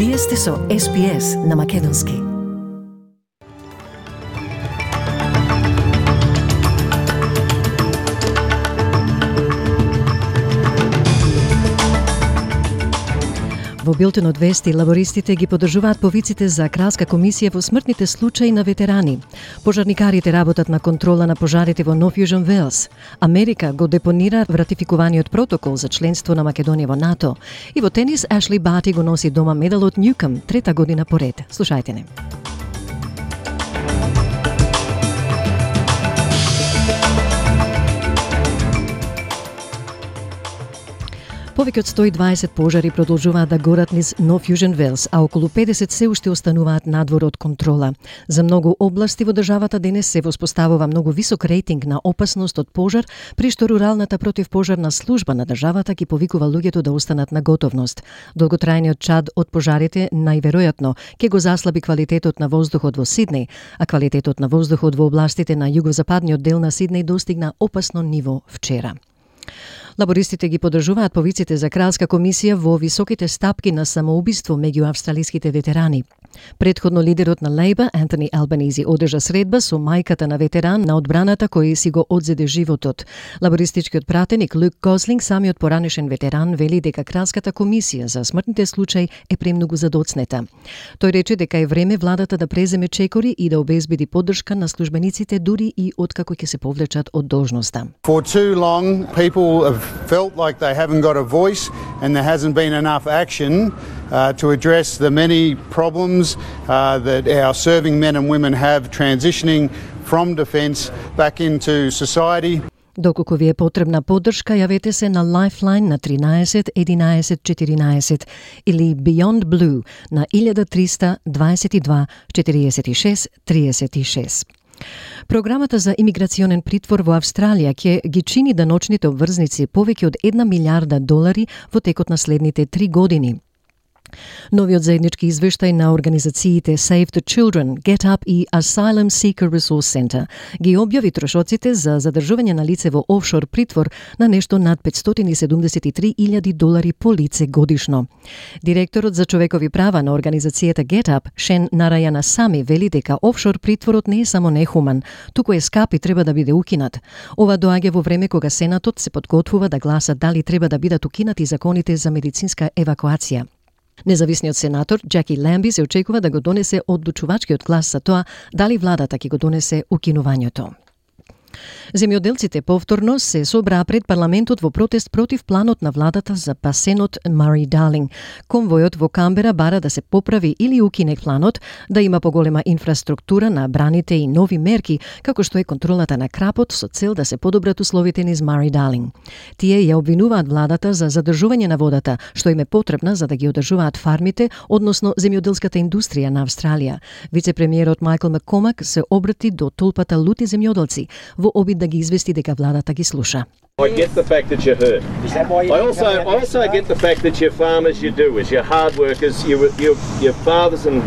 Вие сте со SPS на Македонски. Во билтенот вести, лабористите ги поддржуваат повиците за кралска комисија во смртните случаи на ветерани. Пожарникарите работат на контрола на пожарите во Нов Јужен Велс. Америка го депонира ратификуваниот протокол за членство на Македонија во НАТО. И во тенис, Ашли Барти го носи дома медалот Ньюком, трета година поред. Слушајте не. Повеќе од 120 пожари продолжуваат да горат низ Нов Јужен Велс, а околу 50 се уште остануваат надвор од контрола. За многу области во државата денес се воспоставува многу висок рейтинг на опасност од пожар, при што руралната противпожарна служба на државата ги повикува луѓето да останат на готовност. Долготрајниот чад од пожарите најверојатно ќе го заслаби квалитетот на воздухот во Сиднеј, а квалитетот на воздухот во областите на југозападниот дел на Сиднеј достигна опасно ниво вчера. Лабористите ги поддржуваат повиците за кралска комисија во високите стапки на самоубиство меѓу австралиските ветерани. Предходно лидерот на Лейбор, Антони Албанизи, одржа средба со мајката на ветеран на одбраната кој си го одзеде животот. Лабористичкиот пратеник Люк Гослинг, самиот поранешен ветеран, вели дека кралската комисија за смртните случаи е премногу задоцнета. Тој рече дека е време владата да преземе чекори и да обезбеди поддршка на службениците дури и откако ќе се повлечат од должноста. For too long, people have felt like they haven't got a voice and there hasn't been enough action to address the many problems that our serving men and women have transitioning from defence back into society. Доколку ви е потребна поддршка, јавете се на Lifeline на 13 11 14 или Beyond Blue на 1322 46 36. Програмата за имиграционен притвор во Австралија ќе ги чини даночните обврзници повеќе од $1 милиарда во текот на следните 3 години. Новиот заеднички извештај на организациите Save the Children, Get Up и Asylum Seeker Resource Center ги објави трошоците за задржување на лице во офшор притвор на нешто над $573,000 по лице годишно. Директорот за човекови права на организацијата Get Up, Шен Нарајана Сами, вели дека офшор притворот не е само нехуман, туку е скап и треба да биде укинат. Ова доаѓа во време кога Сенатот се подготвува да гласа дали треба да бидат укинати законите за медицинска евакуација. Независниот сенатор Джаки Ламби се очекува да го донесе одлучувачкиот глас за тоа дали владата ќе го донесе укинувањето. Земјоделците повторно се собраа пред парламентот во протест против планот на владата за басенот Мури-Дарлинг. Конвојот во Камбера бара да се поправи или укине планот, да има поголема инфраструктура на браните и нови мерки, како што е контролата на крапот со цел да се подобрат условите низ Мури-Дарлинг. Тие ја обвинуваат владата за задржување на водата, што им е потребна за да ги одржуваат фармите, односно земјоделската индустрија на Австралија. Вице-премиерот Майкл Маккомак се обрати до толпата лути земјоделци во обид да ги извести дека владата ги слуша. I get the fact that you're hurt. Is that why I also get the fact that you're farmers, you do, as you're hard workers, your fathers and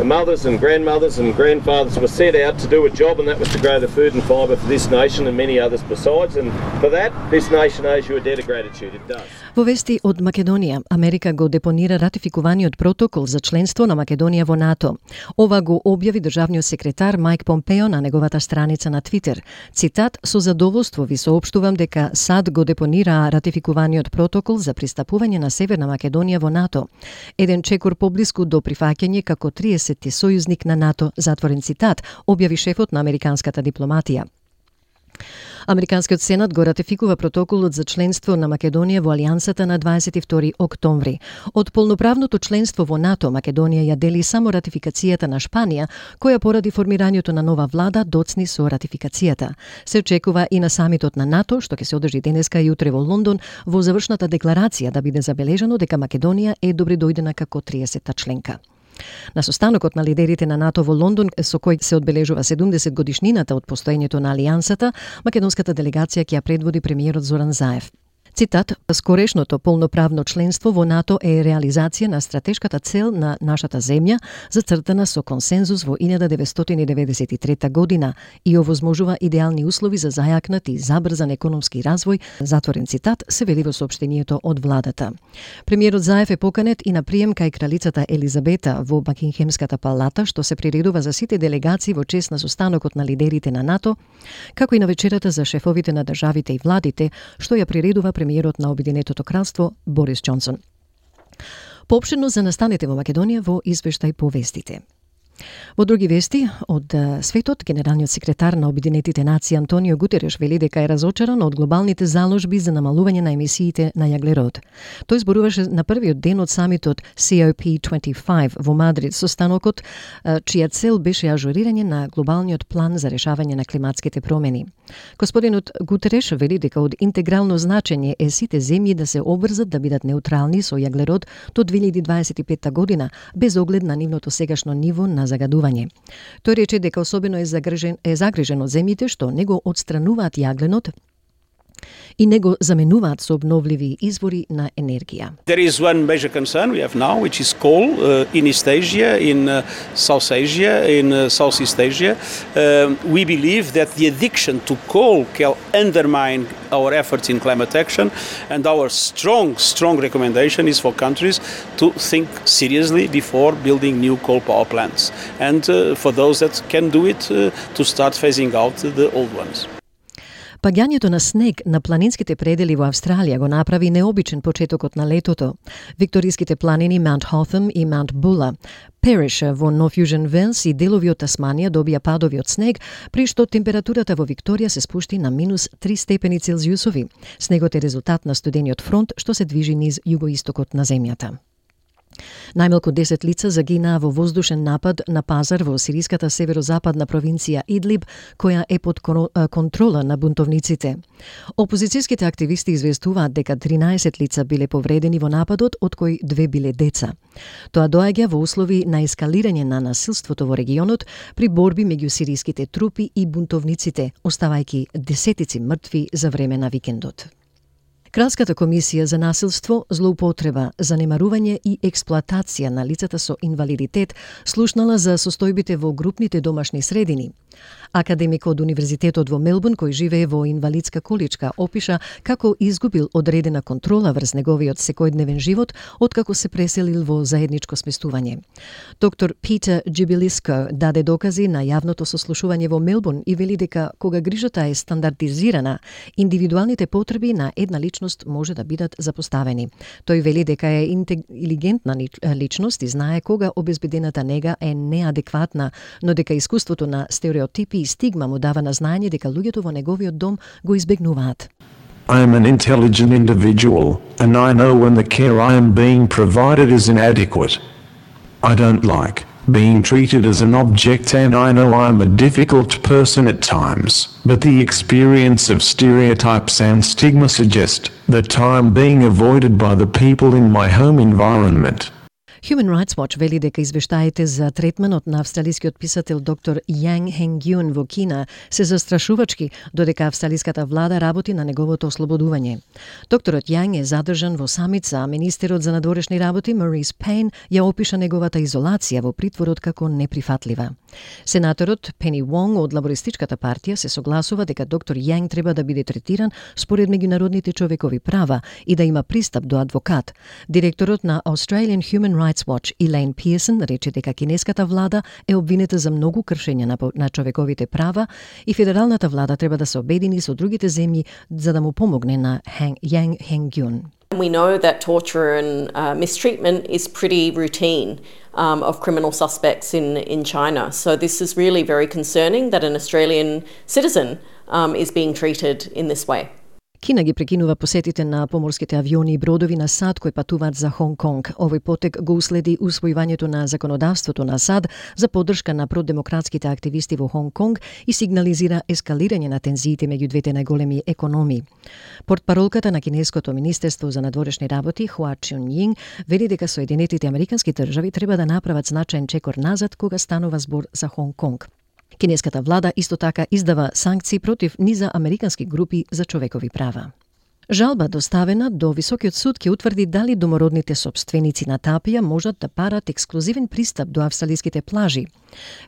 mothers and grandmothers and grandfathers were set out to do a job, and that was to grow the food and fibre for this nation and many others besides, and for that, this nation owes you a debt of gratitude. It does. Во вести од Македонија, Америка го депонира ратификуваниот протокол за членство на Македонија во НАТО. Ова го објави државниот секретар Майк Помпео на неговата страница на Твитер. Цитат: "Со задоволство ви соопштувам дека САД го депонира ратификуваниот протокол за пристапување на Северна Македонија во НАТО. Еден чекор поблиску до прифаќање како 30-ти сојузник на НАТО", затворен цитат, објави шефот на американската дипломатија. Американскиот сенат го ратификува протоколот за членство на Македонија во Алијансата на 22 октомври. Од полноправното членство во НАТО, Македонија ја дели само ратификацијата на Шпанија, која поради формирањето на нова влада доцни со ратификацијата. Се очекува и на самитот на НАТО, што ќе се одржи денеска и утре во Лондон, во завршната декларација да биде забележано дека Македонија е добредојдена како 30-та членка. На состанокот на лидерите на НАТО во Лондон, со кој се одбележува 70 годишнината од постоењето на Алијансата, македонската делегација ќе ја предводи премиерот Зоран Заев. Цитат: "Скорешното полноправно членство во НАТО е реализација на стратешката цел на нашата земја, зацртана со консензус во 1993 година и овозможува идеални услови за зајакнат и забрзан економски развој", затворен цитат, се вели во соопштението од владата. Премиерот Заев е поканет и на прием кај кралицата Елизабета во Бакингемската палата, што се приредува за сите делегации во чест на состанокот на лидерите на НАТО, како и на вечерата за шефовите на државите и владите, што ја приредува премиерот на Обединетото кралство Борис Џонсон. Поопштено за настаните во Македонија во извештај по вестите. Во други вести од светот, генералниот секретар на Обединетите нации Антонио Гутереш вели дека е разочаран од глобалните заложби за намалување на емисиите на јаглерод. Тој зборуваше на првиот ден од самитот COP25 во Мадрид, состанокот чија цел беше ажурирање на глобалниот план за решавање на климатските промени. Господинот Гутереш вели дека од интегрално значење е сите земји да се обврзат да бидат неутрални со јаглерод до 2025 година, без оглед на нивното сегашно ниво на загадување. Тој рече дека особено е загрижен од земјите што не го отстрануваат јагленот и не го заменуваат со обновливи извори на енергија. There is one major concern we have now, which is coal in East Asia, in South Asia, in Southeast Asia. We believe that the addiction to coal can undermine our efforts in climate action, and our strong recommendation is for countries to think seriously before building new coal power plants, and for those that can do it, to start phasing out the old ones. Паѓањето на снег на планинските предели во Австралија го направи необичен почетокот на летото. Викториските планини Маунт Хоtham и Маунт Була, Периш во Нов Јужен Велс и делови од Тасманија добија падови од снег, при што температурата во Викторија се спушти на минус 3 степени Целзиусови. Снегот е резултат на студениот фронт што се движи низ југоистокот на земјата. Најмалку 10 лица загинаа во воздушен напад на пазар во сириската северозападна провинција Идлиб, која е под контрола на бунтовниците. Опозицијските активисти известуваат дека 13 лица биле повредени во нападот, од кои 2 биле деца. Тоа доаѓа во услови на ескалирање на насилството во регионот при борби меѓу сириските трупи и бунтовниците, оставајќи десетици мртви за време на викендот. Кралската комисија за насилство, злоупотреба, занемарување и експлоатација на лицата со инвалидитет слушнала за состојбите во групните домашни средини. Академик од Универзитетот во Мелбурн, кој живее во инвалидска количка, опиша како изгубил одредена контрола врз неговиот секојдневен живот откако се преселил во заедничко сместување. Доктор Питер Джибилиско даде докази на јавното сослушување во Мелбурн и вели дека кога грижата е стандардизирана, индивидуалните потреби на една личност може да бидат запоставени. Тој вели дека е интелигентна личност и знае кога обезбедената нега е неадекватна, но дека искуството на стереотипи и стигма му дава на знаење дека луѓето во неговиот дом го избегнуваат. I am an intelligent individual, and I know when the care I am being provided is inadequate. I don't like being treated as an object, and I know I am a difficult person at times, but the experience of stereotypes and stigma suggest that I am being avoided by the people in my home environment. Human Rights Watch вели дека извештаите за третманот на австралискиот писател доктор Јанг Хенгјун во Кина се застрашувачки, додека австралиската влада работи на неговото ослободување. Докторот Јанг е задржан во самица, а министерот за надворешни работи Марис Пейн ја опиша неговата изолација во притворот како неприфатлива. Сенаторот Пени Вонг од Лабористичката партија се согласува дека доктор Јанг треба да биде третиран според меѓународните човекови права и да има пристап до адвокат. Директорот на Australian Human Rights Watch Elaine Pearson рече дека кинеската влада е обвинета за многу кршења на човековите права и федералната влада треба да се обедини со другите земји за да му помогне на Јанг Хенгјун. We know that torture and mistreatment is pretty routine of criminal suspects in China. So this is really very concerning that an Australian citizen is being treated in this way. Кина ги прекинува посетите на поморските авиони и бродови на САД кои патуваат за Хонг Конг. Овој потек го уследи усвојувањето на законодавството на САД за поддршка на продемократските активисти во Хонг Конг и сигнализира ескалирање на тензиите меѓу двете најголеми економии. Портпаролката на кинеското министерство за надворешни работи Хуа Чунјинг вели дека Соединетите американски држави треба да направат значаен чекор назад кога станува збор за Хонг Конг. Кинеската влада исто така издава санкции против низа американски групи за човекови права. Жалба доставена до Високиот суд ќе утврди дали домородните сопственици на тапија можат да барат ексклузивен пристап до австралиските плажи.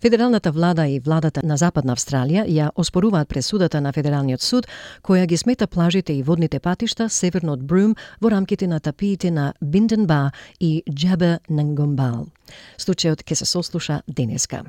Федералната влада и владата на Западна Австралија ја оспоруваат пресудата на Федералниот суд, која ги смета плажите и водните патишта северно од Брум во рамките на тапиите на Бинден Ба и Джаба Нгомбал. Случајот ќе се сослуша денеска.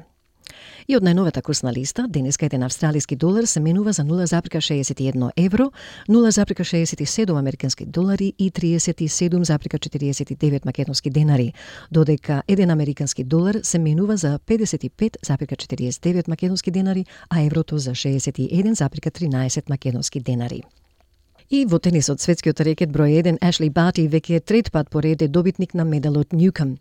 И од најновата курсна листа, денеска еден австралиски долар се менува за 0,61 евро, 0,67 американски долари и 37,49 македонски денари, додека еден американски долар се менува за 55,49 македонски денари, а еврото за 61,13 македонски денари. И во тенисот, светскиот рекет број 1 Ашли Барти веќе трет пат поред е добитник на медалот Ньюком.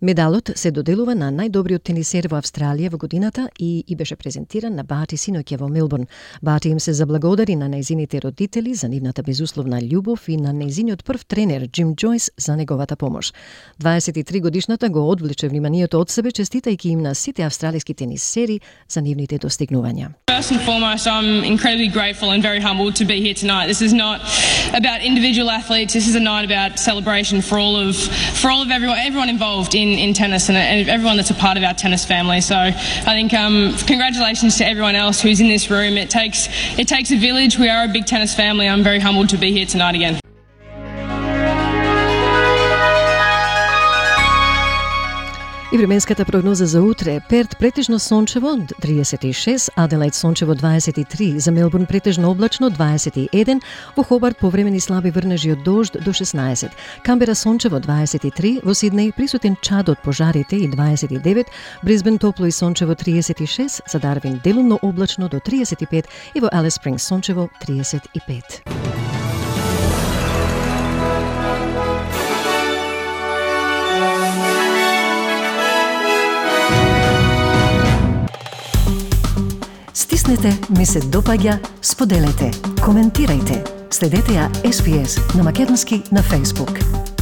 Медалот се доделува на најдобриот тенисер во Австралија во годината и беше презентиран на Барти синоќа во Мелбурн. Барти им се заблагодари на нејзините родители за нивната безусловна љубов и на нејзиниот прв тренер Джим Джойс за неговата помош. 23 годишната го одвлече вниманието од себе, честитајќи им на сите австралиски тенисери за нивните достигнувања. First and foremost, I'm incredibly grateful and very humbled to be here tonight. This is not about individual athletes. This is a night about celebration for all of everyone involved in tennis and everyone that's a part of our tennis family. So I think congratulations to everyone else who's in this room. It takes a village. We are a big tennis family. I'm very humbled to be here tonight again. И временската прогноза за утре: Перт претежно сончево 36, Аделаид сончево 23, за Мелбурн претежно облачно 21, во Хобарт повремени слаби врнежи од дожд до 16, Камбера сончево 23, во Сиднеј присутен чад од пожарите и 29, Брисбен топло и сончево 36, за Дарвин делумно облачно до 35 и во Алис Спрингс сончево 35. Стиснете, ми се допаѓа, споделете, коментирајте. Следете ја SPS на македонски на Facebook.